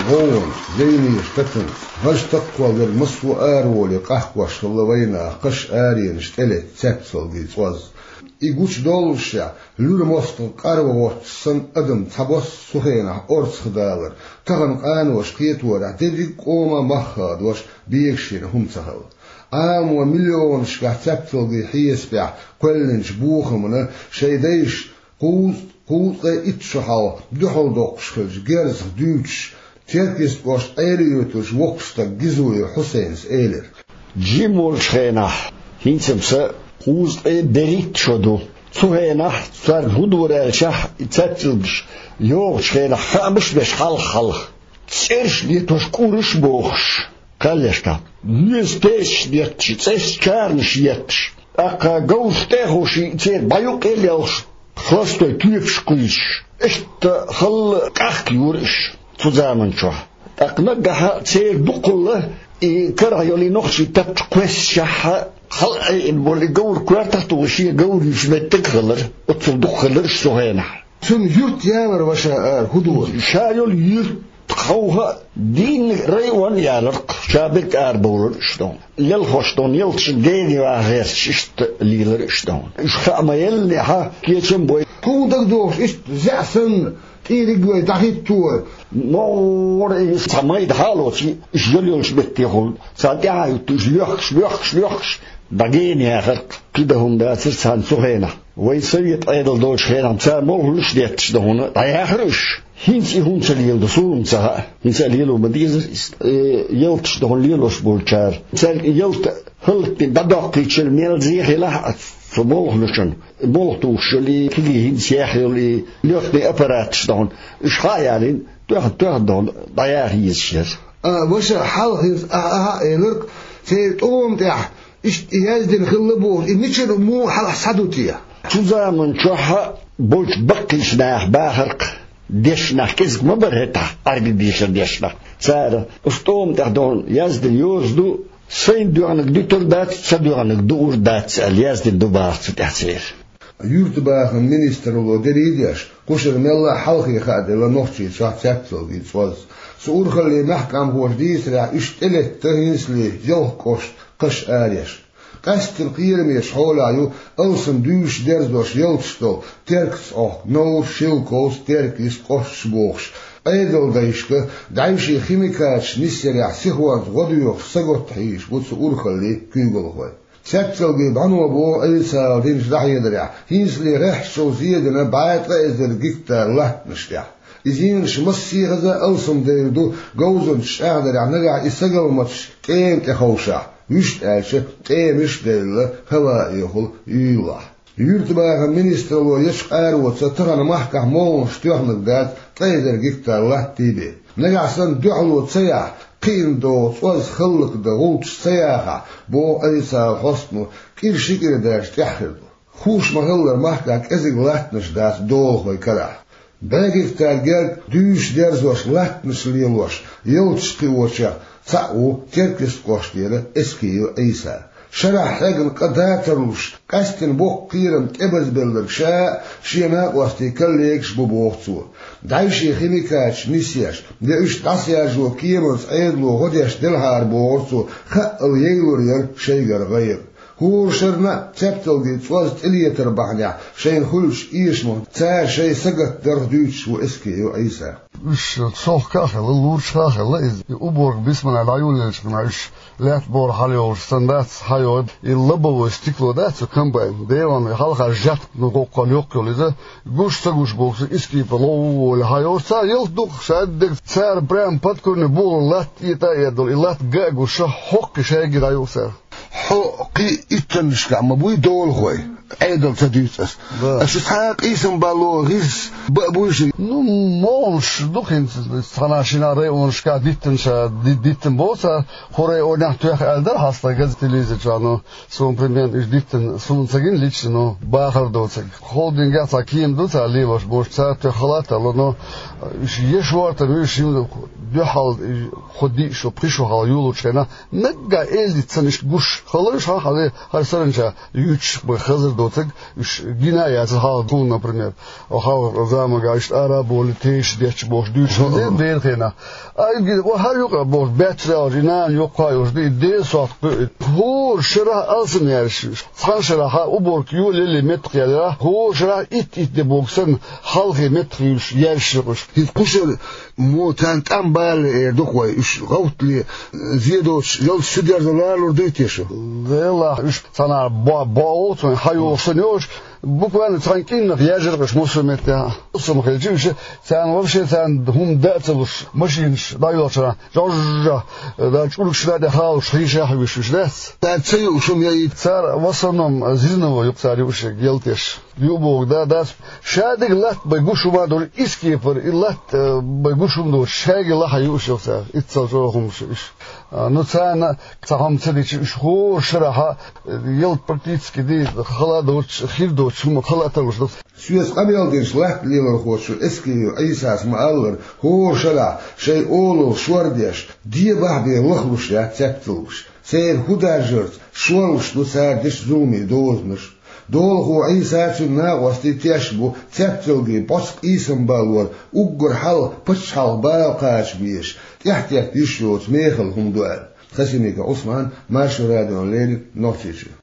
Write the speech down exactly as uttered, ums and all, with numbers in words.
ГӀовгӀанца, зӀамигача тацанца, хӀанз такхваллар массо а араволе къахкош хилла вайнаха кхаш аренаш тӀелетта цецалгий цӀоз. И гучадоллашехь, луьра мостагӀа къарва гӀотташ санна адам цхьабосса цу хенахь орцахдалар, тахана къаноша кхеторехь дерриг а къоман мах хадош бегашхира хӀума ца хилла. Ӏаламо миллионашкахь цецалгий хьесапехь кхоьллинчу бохамна шайн дайша кхузткъе, кхузткъе итт шо хьалха дуьхьал доккхуш хилча герзах дуьйцуш, Теркйист кӀоштан Ӏелиоьтуш воккха стаг Гизоев Хьусайнас элира: Жима волчу хенахь, хӀинца-м сан кхузткъе берхӀитта шо ду. Цу хенахь царна хӀун дора аьлчахь, и цецалгаш йогӀучу хенахь хаамаш а беш хьалха-хьалха, цӀераш а летош, кӀураш а бохуш, кхаьллешка, веза песаш а детташ, цӀераш, чарнаш а етташ, тӀаккха говраш тӀе а ховший, церан бӀе юккъе а лелхаш, хластой тоьпаш кхуьйсуш, иштта халла къахка юра уьш цу заманчохь. ТӀаккха наггахь а церан дукхалла и карахь йолу и нохчийн тапча кхоьссичахь а, хьалаайина болу и говр коьртах а тухуш, шен говр юьйцу меттиг а хилар, оццул дукха хилар уьш цу хенахь. Цуьнан юрт ялар, ваша, ара хӀун дора? Ша йолу юрт хьовха а, дийнна район ялар-кх, ша берг арабовлар уьш дохна. Лелхош дохна, ялташна генаваха гӀерташ, иштта лелар уьш дохна. Уьш хаа ма-еллинехь, кечам а бой. Хьуна дагадогӀуш, иштта зӀе санна, тӀийриг вай дӀахӀитто. МогӀара и цхьа майда хьалоций, уьш йола йолчу меттехула, царна тӀаьхьа а хӀуьттуш, лоьхкуш, лоьхкуш, лоьхкуш, дӀагена яхар-кх. КхидӀа хӀума дацара царна цу хенахь. Вай совет Ӏедал долчу хенахь цара молханаш а детташ дохна дӀаяхара уьш. ХӀинца и хӀума ца леладо, суна-м ца хаьа. ХӀинца а лело ма дезара иза. Э, ялташ дохна лелош болчара, цаьрга и ялта хӀаллакдина дӀадоккхийча мел зе хилахь а цу молханашна, молха тухуш йолу и кегий хӀинца еха йолу и лоьхний аппараташ дохна, уьш хьа а ялийна, тоьхна-тоьхна дохна дӀаяха езаш яра. А, ваша, хьалха хӀинца ахьа-ахьа а элира-кх, церан тӀома тӀехь иштта и яздина хилла бохуш, и мичара, муха хьалха схьаду те? Цу заманчохь а болчу баккхийчу наха бахар-кх, дешнаш кӀезиг ма бара хӀетахь, Ӏаьрбийн дешар дешнаш. Цара: «Оцу тӀома тӀехь дохна яздина йоза ду, сайна доьгӀнарг дуьтур дац, сан доьгӀнарг дуур дац», — аьлла яздина ду бахар цу тӀехь церан. Юьртабахаман министралло дерриг а деш, кхушара мелла а хьалхе хааделла Нохчийчохь цецалгий цӀоз. Цу урхаллин мехкамхоша дийцарехь, уьш тӀелетта хӀинцале ялх кӀошт кхаш ареш. Къаьсттина кхерамечу хьолехь ю алсам дуьйш дерзош ялташ долу Теркйист, Ӏохк, Новр, Шелковица, Теркйист кӀошташ бохуш, Ӏедалдайшка дӀаьвше химикаташ нисъярехь сихонца гӀо доьхуш сагатта хьийзаш бу цу урхаллин куьйгалхой. Цецалгий бӀано боху Ӏийсас динчу дӀахьедарехь, хӀинцале гӀеххьачул зен дина бӀе ткъа эзар гектар латтанаш тӀехь. И зенаш массехаза алсам девр ду, говзанчаша чӀагӀдарехь, нагахь и сагалматаш тӀема тӀе ховшахь, вуьшта аьлча, тӀемаш а девлла, хӀаваэхула юьйлахь. Юьртабахаман министралло ечу къароца тахана махкахь молханаш тоьхнарг дац ткъа эзар гектар латта бен. Нагахь санна дуьхьало ца яхь, кхиъна догӀу цӀоз хӀаллакдан гӀулчаш ца яхахь, боху Ӏийсас хьостано, кӀира ши кӀира даьржа тӀаьхьа хир ду. Хууш ма-хиллара, махкахь кӀезиг латтанаш дац долахойн карахь. БӀе гектар герга дуьйш дерзош, латтанаш лелош, ялташ кхиочех цхьаъ ву Теркйист кӀоштера Эскиев Ӏийса. Шарахь хьегна къа дацарлуш, къаьсттина боккха кхерам тӀебазбелларг ша а, шен накъостий коллегаш а бу, боху цо. ДӀаьвше химикаташ нисъеш, я уьш дӀасаяржо кеманца Ӏедало гӀо деш делахьара, бохура цо, хаъал яйлур яра шайгара гӀайгӀа. ХӀора шарна а цецалгий цӀоз тӀелетар бахьанехь шайна хуьлучу эшамах цара шайн сагатдарх дуьйцуш ву Эскиев Ӏийса. Уьш цохка а хилла, лурчуха а хилла иза. И уборка бисманна дӀайолаелча хана уьш лаьтта бора хьалайолуш санна дац хьайогӀу. И лобовое стекло дац цу комбайн, Делан, хьалха жат, ну, гӀоккхал йоккха йолу иза, гуш ца гуш бохуш, искипа ловволе хьайогӀуш. Цара ялта ду-кх, ша дерг, цара прямо под корень болу латта этӀа а эдалу, и латта га а гуш, хӀоккхе шайгара дӀайолу цара. Хьо кхин иттаннашкахь ма буй долахой, Ӏедал ца дуьйцу ас. Да. Аша цхьа а къийсам балло гӀирс баа буй ши? Ну, молуш ду хӀинца, цхьана шина районашкахь диттанаш ди-, диттан боцу, хӀора районехь тоьхна аьлла дара хьастагаз телевизор чохь, ну, суна, примерно, уьш диттан, суна ца гина лично, ну, бахар доцург. Холдингехь цхьа кема ду цара лелош, бохуш, цара тоьхна халат а ло, но уьш еш вортам, уьш дуьхьал, хӀу диъ шо, пхи шо хьалха юлучу хенахь, наггахь эздица санна иштта гуш хала, уьш хьан хьале, хӀара саранча юьтуш бен хазар доцург, уьш гина а яцара хьалха, например, хьалха заманахь иштта ара а бовлий, тешаш детташ бохуш дуьйцуш хилла дера хенахь. А и гина, о, хӀара юкъа бохуш, баьццара олуш, и нана йоккха а йолуш ду, и Делан сохьта кхуьу. ХӀора шарахь алсам яьржаш ю уьш. Цхьана шарахь уборка йолале меттах яьлла, хӀора шарахь итт-итт де боху санна, хьалхе меттах юьллуш яьржаш ю уьш. ХӀинца кху шарахь мо царна тӀам балале эр ду-кх вай, уьш гӀовттале, зе доцуш, ялсамане дерзо лорур дуй те шу? Делахь, уьш цхьанхьа бо-, богӀу цунна хьайогӀуш санна йолуш, буквально цхьана кӀирнах яьржира-кх уьш массо а меттехь. Массо а хилча уьш, царна вообще царна хӀума дан а ца луш, машинаш дӀайолчарна, жожжа, да, чӀургаш да тӀе халуш, хьийша а хьуьйсуш уьш дац. Цара ца юуш хӀума яйта? Цара в основном зерновой ю-кх цара юуш, гелтеш. Ю боху, да, дац. Ша дерг латта бен гуш хӀума а долуш, искепара, и латта, э, бен гуш хӀума долуш, шаьргий лахьа юуш ю-кх цара. Иццал чӀогӀа хӀумаш ю уьш. А, ну, царна цхьа хӀума ца дича, уьш хӀора шарахь, э, ялта практически дийца хала а доцуш, хир доцуш хӀума хала а тарлуш ду. Соьца къамел динчу латта лелорхочо Эскиев Ӏийсас ма-аллара, хӀора шарахь шайн олалла шор деш, дебахь бен лахлуш яц цаьпцалгаш. Церан хӀун даржарца шорлуш ду цара дечу зуламийн дозанаш. Долахо Ӏийса а, цуьнан накъостий тешна бу цаьпцалгийн бӀоцкъа ийсам балор уггар хьалха пачхьалкхан бала кхача безаш, тӀаьхьатетта йиш йоцу мехала хӀума ду аьлла. Хасимиков Ӏусман, Маршо радиона леррина, Нохчийчоь.